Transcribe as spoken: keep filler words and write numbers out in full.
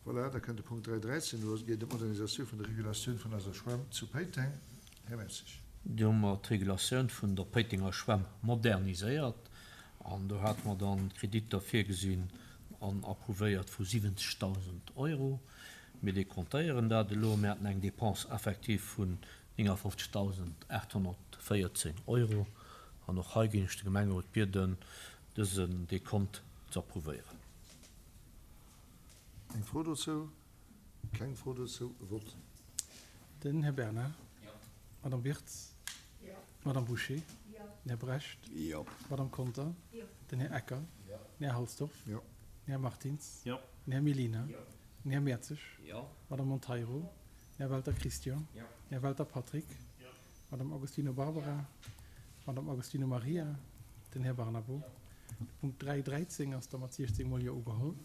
Voilà, da kënnt de Punkt dräi dräizéng, do geet et ëm d'Modernisatioun vun der Regulatioun vun eiser Schwämm zu Péiteng. Här Mertzig. Do hu mer d'Regulatioun vun der Péitenger Schwämm moderniséiert an do hate mer dann Kreditter virgesinn an approuvéiert vu siwwenzegdausend Euro. Mir dekontéieren dat elo. Mir haten eng Dépense effective vun néngafofzegdausendaathonnertvéierzéng Euro an och hei géing ech de Gemengerot bieden, dësen Dekont ze approuvéieren. Eng Fro dozou? Keng Fro dozou. Vott. Den Här Bernard. Jo. D'Madame Wirtz. Jo. D'Madame Bouché. Jo. Den Här Brecht. Jo. D'Madame Conter. Jo. Den Här Ecker. Jo. Den Här Halsdorf. Jo. Den Här Martins. Jo. Den Här Mellina. Jo. Den Här Mertzig. Jo. D'Madame Monteiro. Jo. Den Här Welter Christian. Jo. Den Här Welter Patrick. Jo. D'Madame Agostino Barbara. Jo. D'Madame Agostino Maria. Den Här Barnabo. Jo. De Punkt dräi dräizéng ass da mat siechzéng mol Jo ugeholl.